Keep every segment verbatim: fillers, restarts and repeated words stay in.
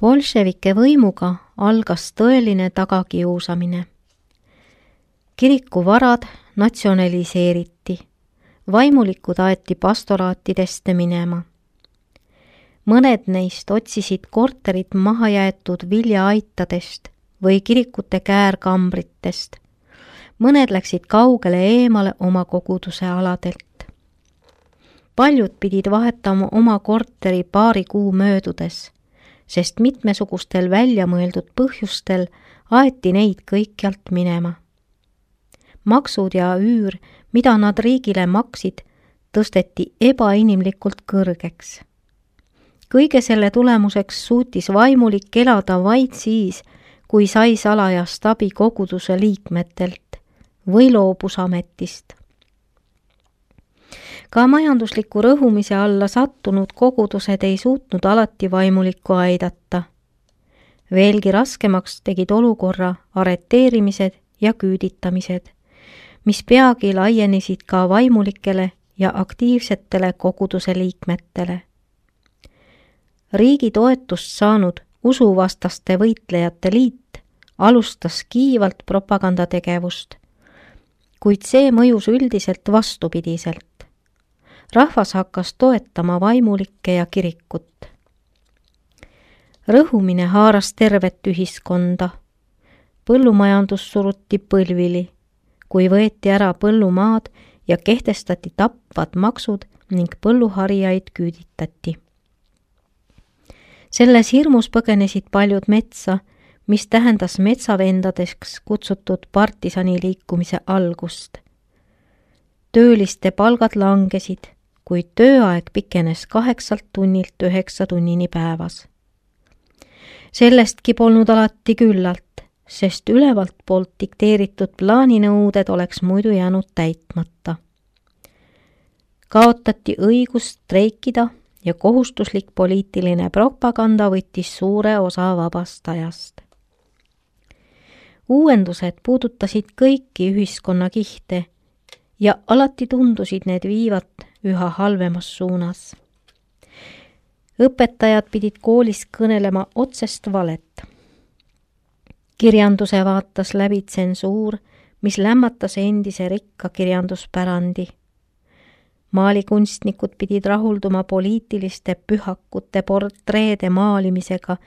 Bolševike võimuga algas tõeline tagakiusamine. Kirikuvarad natsionaliseeriti, vaimulikud aeti pastoraatidest minema. Mõned neist otsisid korterit mahajäetud viljaaitadest või kirikute käärkambritest. Mõned läksid kaugele eemale oma koguduse aladelt. Paljud pidid vahetama oma korteri paari kuu möödudes, sest mitmesugustel väljamõeldud põhjustel aeti neid kõikjalt minema. Maksud ja üür, mida nad riigile maksid, tõsteti ebainimlikult kõrgeks. Kõige selle tulemuseks suutis vaimulik elada vaid siis, kui sai salajast abi koguduse liikmetelt või loobus ametist. Ka majandusliku rõhumise alla sattunud kogudused ei suutnud alati vaimulikku aidata. Veelgi raskemaks tegid olukorra areteerimised ja küüditamised, mis peagi laienesid ka vaimulikele ja aktiivsetele koguduse liikmetele. Riigi toetust saanud usuvastaste võitlejate liit alustas kiivalt propagandategevust, kuid see mõjus üldiselt vastupidiselt. Rahvas hakkas toetama vaimulikke ja kirikut. Rõhumine haaras tervet ühiskonda. Põllumajandus suruti põlvili, kui võeti ära põllumaad ja kehtestati tapvad maksud ning põlluharijaid küüditati. Selles hirmus põgenesid paljud metsa, mis tähendas metsavendadeks kutsutud partisani-liikumise algust. Tööliste palgad langesid, kuid tööaeg pikenes kaheksalt tunnilt üheksa tunnini päevas. Sellestki polnud alati küllalt, sest ülevalt poolt dikteeritud plaaninõuded oleks muidu jäänud täitmata. Kaotati õigust streikida ja kohustuslik poliitiline propaganda võttis suure osa vabast ajast. Uuendused puudutasid kõiki ühiskonna kihte ja alati tundusid need viivat üha halvemas suunas. Õpetajad pidid koolis kõnelema otsest valet. Kirjanduse vaatas läbi tsensuur, mis lämmatas endise rikka kirjanduspärandi. Maalikunstnikud pidid rahulduma poliitiliste pühakute portreede maalimisega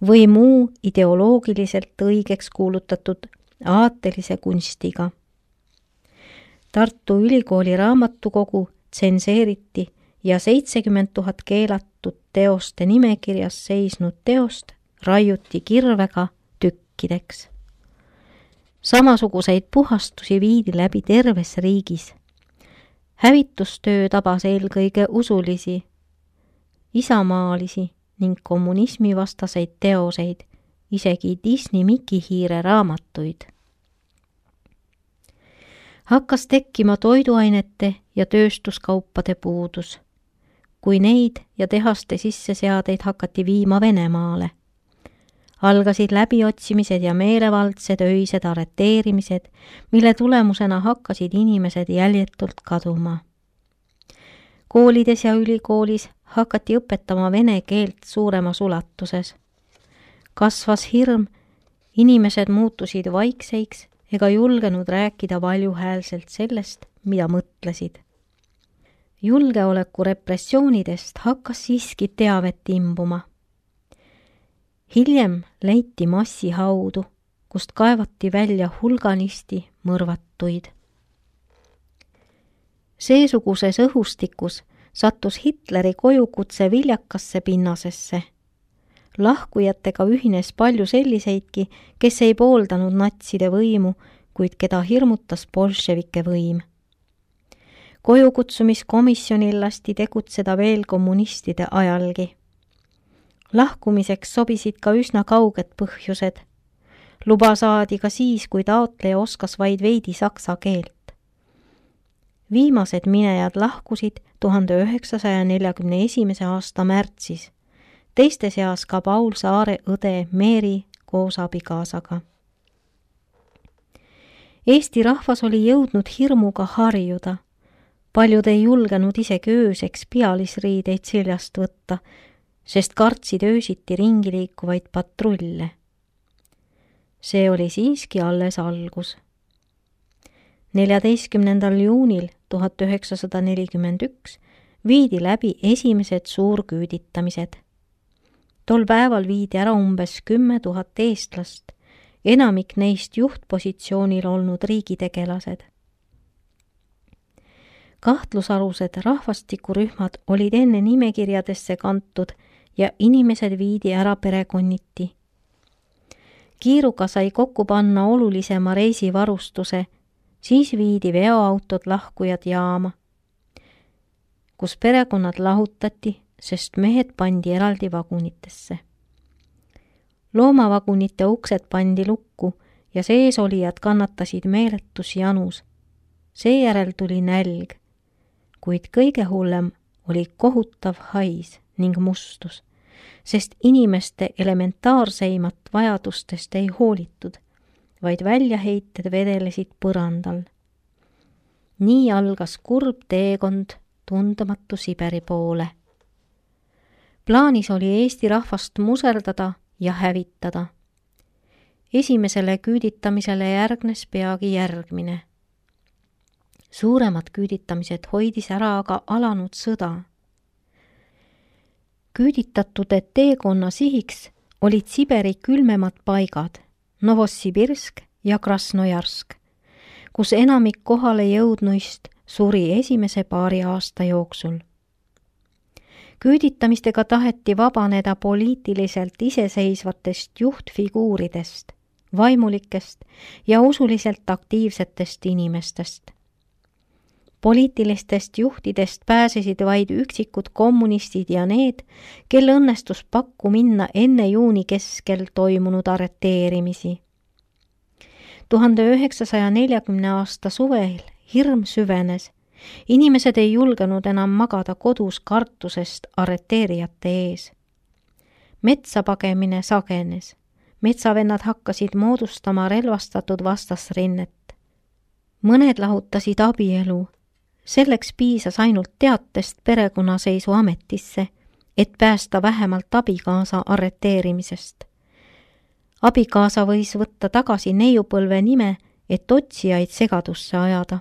või muu ideoloogiliselt õigeks kuulutatud aatelise kunstiga. Tartu Ülikooli raamatukogu tsenseeriti ja seitsekümmend tuhat keelatud teoste nimekirjas seisnud teost raiuti kirvega tükkideks. Samasuguseid puhastusi viidi läbi terves riigis. Hävitustöö tabas eelkõige usulisi, isamaalisi ning kommunismivastaseid teoseid, isegi Disney Mikihiire raamatuid. Hakkas tekkima toiduainete ja tööstuskaupade puudus, kui neid ja tehaste sisseseadeid hakati viima Venemaale. Algasid läbiotsimised ja meelevaldsed öised areteerimised, mille tulemusena hakkasid inimesed jäljetult kaduma. Koolides ja ülikoolis hakati õpetama vene keelt suuremas ulatuses. Kasvas hirm, inimesed muutusid vaikseiks ega julgenud rääkida valjuhäälselt sellest, mida mõtlesid. Julgeoleku repressioonidest hakkas siiski teavet imbuma. Hiljem leiti massihaudu, kust kaevati välja hulganisti mõrvatuid. Seesuguses õhustikus sattus Hitleri kojukutse viljakasse pinnasesse. Lahkujatega ühines palju selliseidki, kes ei pooldanud natside võimu, kuid keda hirmutas bolševike võim. Kojukutsumiskomisjonil lasti tegutseda veel kommunistide ajalgi. Lahkumiseks sobisid ka üsna kauged põhjused. Luba saadi ka siis, kui taotleja oskas vaid veidi saksa keelt. Viimased minejad lahkusid tuhande üheksasaja neljakümne esimese aasta märtsis, teiste seas ka Paul Saare õde Meeri koos abikaasaga. Eesti rahvas oli jõudnud hirmuga harjuda. Paljud ei julgenud isegi ööseks pealisriideid seljast võtta, sest kartsid öösiti ringi liikuvaid patrulle. See oli siiski alles algus. neljateistkümnendal juunil tuhat üheksasada nelikümmend üks viidi läbi esimesed suurküüditamised. Tol päeval viidi ära umbes kümme tuhat eestlast, enamik neist juhtpositsioonil olnud riigitegelased. Kahtlusalused rahvastikurühmad olid enne nimekirjadesse kantud ja inimesed viidi ära perekonniti. Kiiruga sai kokku panna olulisema reisivarustuse, siis viidi veoautod lahkujad jaama, kus perekonnad lahutati, sest mehed pandi eraldi vagunitesse. Loomavagunite uksed pandi lukku ja seesolijad kannatasid meeletus janus. Seejärel tuli nälg, kuid kõige hullem oli kohutav hais ning mustus, sest inimeste elementaarseimat vajadustest ei hoolitud, vaid väljaheited vedelesid põrandal. Nii algas kurb teekond tundmatu Siberi poole. Plaanis oli Eesti rahvast muserdada ja hävitada. Esimesele küüditamisele järgnes peagi järgmine. Suuremad küüditamised hoidis ära aga alanud sõda. Küüditatute teekonna sihiks olid Siberi külmemad paigad, Novosibirsk ja Krasnojarsk, kus enamik kohale jõudnuist suri esimese paari aasta jooksul. Küüditamistega taheti vabaneda poliitiliselt iseseisvatest juhtfiguuridest, vaimulikest ja usuliselt aktiivsetest inimestest. Poliitilistest juhtidest pääsesid vaid üksikud kommunistid ja need, kel õnnestus pakku minna enne juuni keskel toimunud arreteerimisi. tuhande üheksasaja neljakümne aasta suvel hirm süvenes. Inimesed ei julgenud enam magada kodus kartusest arreteerijate ees. Metsa pagemine sagenes. Metsavennad hakkasid moodustama relvastatud vastasrinnet. Mõned lahutasid abielu. Selleks piisas ainult teatest perekonnaseisu ametisse, et päästa vähemalt abikaasa arreteerimisest. Abikaasa võis võtta tagasi neiupõlve nime, et otsijaid segadusse ajada.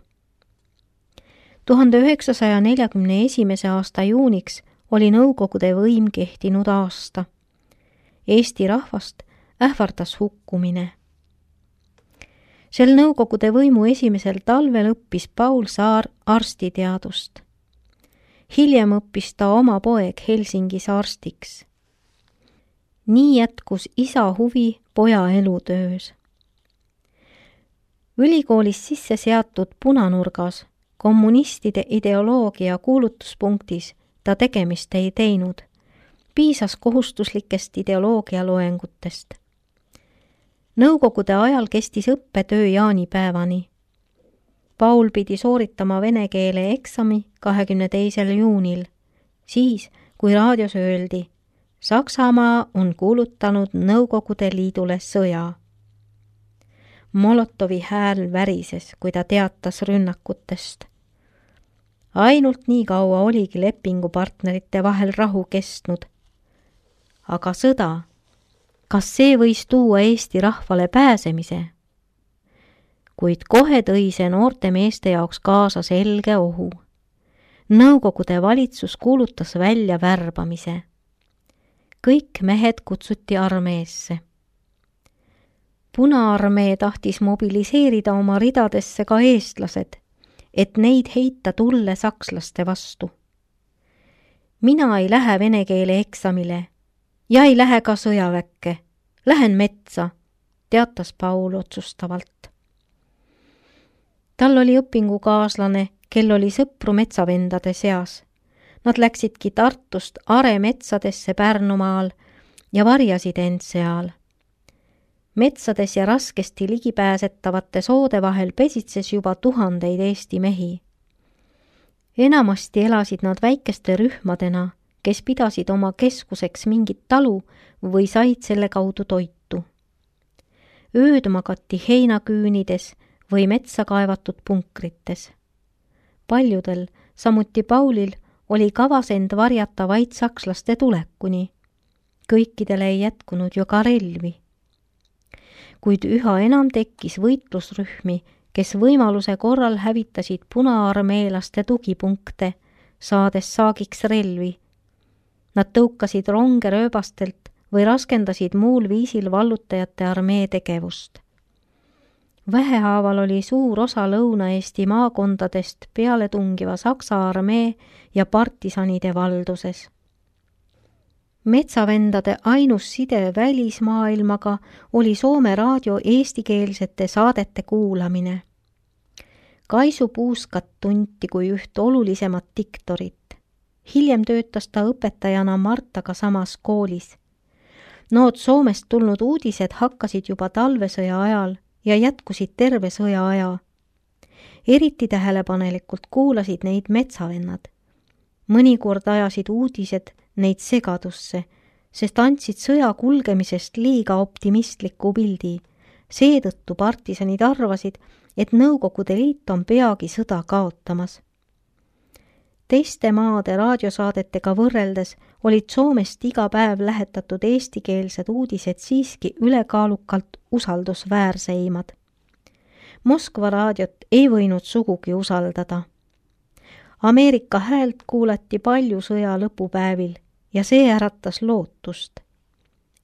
tuhande üheksasaja neljakümne esimese aasta juuniks oli Nõukogude võim kehtinud aasta. Eesti rahvast ähvardas hukkumine. Sel Nõukogude võimu esimesel talvel õppis Paul Saar arstiteadust. Hiljem õppis ta oma poeg Helsingis arstiks. Nii jätkus isa huvi poja elutöös. Ülikoolis sisse seatud punanurgas kommunistide ideoloogia kuulutuspunktis ta tegemist ei teinud. Piisas kohustuslikest ideoloogia loengutest. Nõukogude ajal kestis õppetöö jaanipäevani. Paul pidi sooritama vene keele eksami kahekümne teisel juunil, siis kui raadios öeldi, Saksamaa on kuulutanud Nõukogude Liidule sõja. Molotovi hääl värises, kui ta teatas rünnakutest. Ainult nii kaua oligi lepingupartnerite vahel rahu kestnud. Aga sõda, kas see võis tuua Eesti rahvale pääsemise? Kuid kohe tõi see noorte meeste jaoks kaasa selge ohu. Nõukogude valitsus kuulutas välja värbamise. Kõik mehed kutsuti armeesse. Punaarmee tahtis mobiliseerida oma ridadesse ka eestlased, et neid heita tulle sakslaste vastu. Mina ei lähe vene keele eksamile ja ei lähe ka sõjaväkke. Lähen metsa, teatas Paul otsustavalt. Tal oli õpingukaaslane, kel oli sõpru metsavendade seas. Nad läksidki Tartust Are metsadesse Pärnumaal ja varjasid end seal. Metsades ja raskesti ligipääsetavate soode vahel pesitses juba tuhandeid Eesti mehi. Enamasti elasid nad väikeste rühmadena, kes pidasid oma keskuseks mingit talu või said selle kaudu toitu. Ööd magati heinaküünides või metsa kaevatud punkrites. Paljudel, samuti Paulil, oli kavas end varjata vaid sakslaste tulekuni. Kõikidele ei jätkunud ju ka relvi. Kuid üha enam tekkis võitlusrühmi, kes võimaluse korral hävitasid punaarmeelaste tugipunkte, saades saagiks relvi. Nad tõukasid ronge rööbastelt või raskendasid muul viisil vallutajate armee tegevust. Vähehaaval oli suur osa Lõuna-Eesti maakondadest peale tungiva Saksa armee ja partisanide valduses. Metsavendade ainus side välismaailmaga oli Soome raadio eestikeelsete saadete kuulamine. Kaisu Puuskat tunti kui üht olulisemat diktorit. Hiljem töötas ta õpetajana Martaga samas koolis. Nood Soomest tulnud uudised hakkasid juba talvesõja ajal ja jätkusid terve sõja aja. Eriti tähelepanelikult kuulasid neid metsavennad. Mõnikord ajasid uudised neid segadusse, sest andsid sõja kulgemisest liiga optimistliku pildi. Seetõttu partisanid arvasid, et Nõukogude Liit on peagi sõda kaotamas. Teiste maade raadiosaadetega võrreldes olid Soomest iga päev lähetatud eestikeelsed uudised siiski ülekaalukalt usaldusväärseimad. Moskva raadiot ei võinud sugugi usaldada. Ameerika häält kuulati palju sõja lõpupäevil ja see äratas lootust.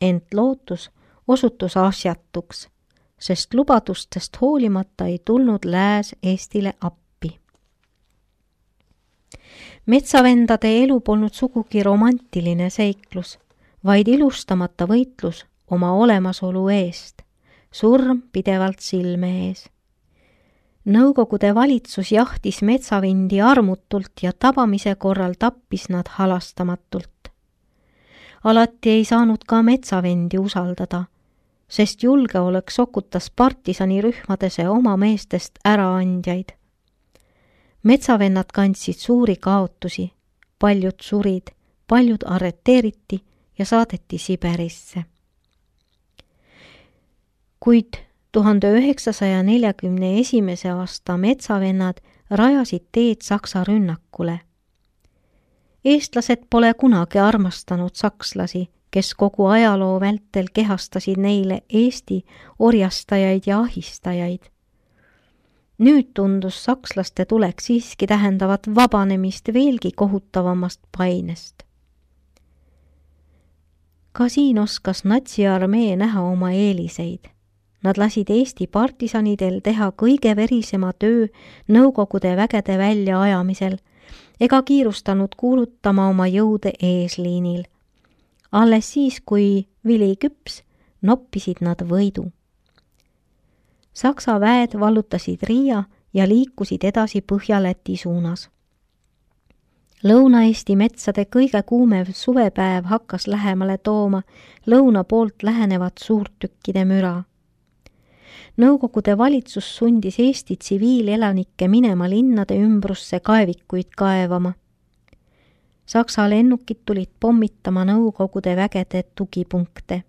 Ent lootus osutus asjatuks, sest lubadustest hoolimata ei tulnud lääs Eestile appi. Metsavendade elu polnud sugugi romantiline seiklus, vaid ilustamata võitlus oma olemasolu eest, surm pidevalt silme ees. Nõukogude valitsus jahtis metsavindi armutult ja tabamise korral tappis nad halastamatult. Alati ei saanud ka metsavendi usaldada, sest julgeolek sokutas partisanirühmadese oma meestest äraandjaid. Metsavennad kandsid suuri kaotusi, paljud surid, paljud arreteeriti ja saadeti Siberisse. Kuid tuhande üheksasaja neljakümne esimese aasta metsavennad rajasid teed Saksa rünnakule. Eestlased pole kunagi armastanud sakslasi, kes kogu ajaloo vältel kehastasid neile Eesti orjastajaid ja ahistajaid. Nüüd tundus sakslaste tulek siiski tähendavat vabanemist veelgi kohutavamast painest. Ka siin oskas natsiarmee näha oma eeliseid. Nad lasid Eesti partisanidel teha kõige verisema töö Nõukogude vägede välja ajamisel ega kiirustanud kuulutama oma jõude eesliinil. Alles siis, kui vili küps, noppisid nad võidu. Saksa väed vallutasid Riia ja liikusid edasi Põhja-Läti suunas. Lõuna-Eesti metsade kõige kuumev suvepäev hakkas lähemale tooma lõuna poolt lähenevat suurtükkide müra. Nõukogude valitsus sundis Eesti tsiviilelanikke minema linnade ümbrusse kaevikuid kaevama. Saksa lennukid tulid pommitama Nõukogude vägede tugipunkte.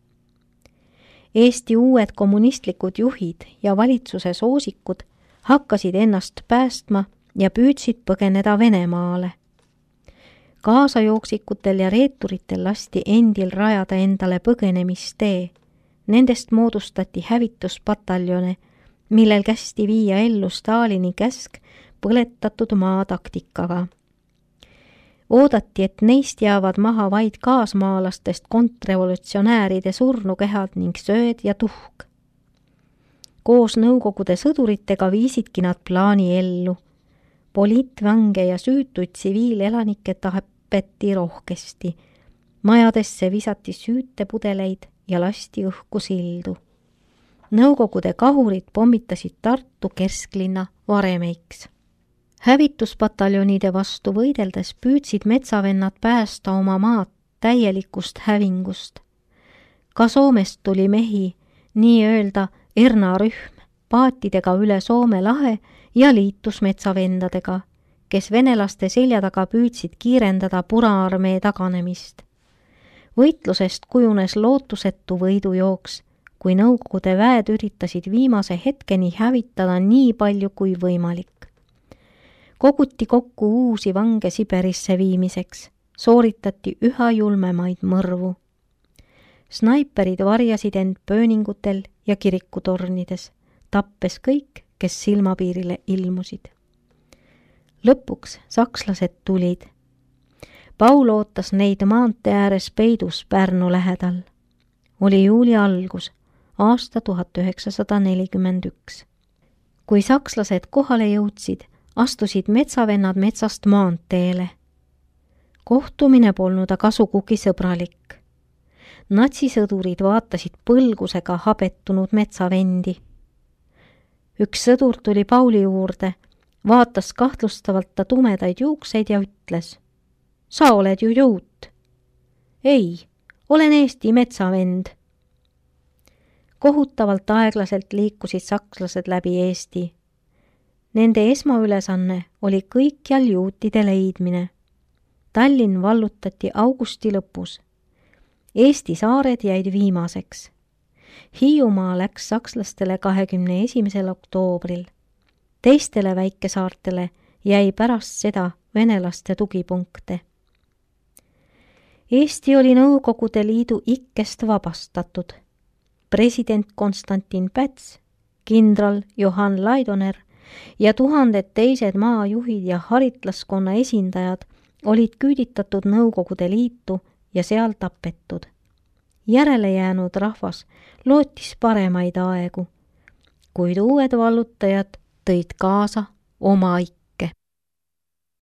Eesti uued kommunistlikud juhid ja valitsuse soosikud hakkasid ennast päästma ja püüdsid põgeneda Venemaale. Kaasajooksikutel ja reeturitel lasti endil rajada endale põgenemistee. Nendest moodustati hävituspataljone, millel kästi viia ellu Stalini käsk põletatud maa taktikaga. Oodati, et neist jäävad maha vaid kaasmaalastest kontrrevolutsionääride surnukehad ning sööd ja tuhk. Koos Nõukogude sõduritega viisidki nad plaani ellu. Poliitvange ja süütuid tsiviilelanikke tapeti rohkesti. Majadesse visati süütepudeleid ja lasti õhku sildu. Nõukogude kahurid pommitasid Tartu kesklinna varemeiks. Hävituspataljonide vastu võideldes püüdsid metsavennad päästa oma maad täielikust hävingust. Ka Soomest tuli mehi, nii öelda Erna rühm, paatidega üle Soome lahe ja liitus metsavendadega, kes venelaste selja taga püüdsid kiirendada Punaarmee taganemist. Võitlusest kujunes lootusetu võidujooks, kui Nõukogude väed üritasid viimase hetkeni hävitada nii palju kui võimalik. koguti kokku uusi vange Siberisse viimiseks, sooritati üha julmemaid mõrvu. Snaiperid varjasid end pööningutel ja kirikutornides, tappes kõik, kes silmapiirile ilmusid. Lõpuks sakslased tulid. Paul ootas neid maantee ääres peidus Pärnu lähedal. Oli juuli algus, aasta tuhat üheksasada nelikümmend üks. Kui sakslased kohale jõudsid, astusid metsavennad metsast maanteele. Kohtumine polnud aga sugugi sõbralik. Natsisõdurid vaatasid põlgusega habetunud metsavendi. Üks sõdur tuli Pauli juurde, vaatas kahtlustavalt ta tumedaid juukseid ja ütles: "Sa oled ju juut." "Ei, olen Eesti metsavend." Kohutavalt aeglaselt liikusid sakslased läbi Eesti. Nende esmaülesanne oli kõikjal juutide leidmine. Tallinn vallutati augusti lõpus. Eesti saared jäid viimaseks. Hiiumaa läks sakslastele kahekümne esimesel oktoobril. Teistele väikesaartele jäi pärast seda venelaste tugipunkte. Eesti oli Nõukogude Liidu ikkest vabastatud. President Konstantin Päts, kindral Johann Laidoner ja tuhanded teised maajuhid ja haritlaskonna esindajad olid küüditatud Nõukogude Liitu ja seal tapetud. Järele jäänud rahvas lootis paremaid aegu, kuid uued vallutajad tõid kaasa oma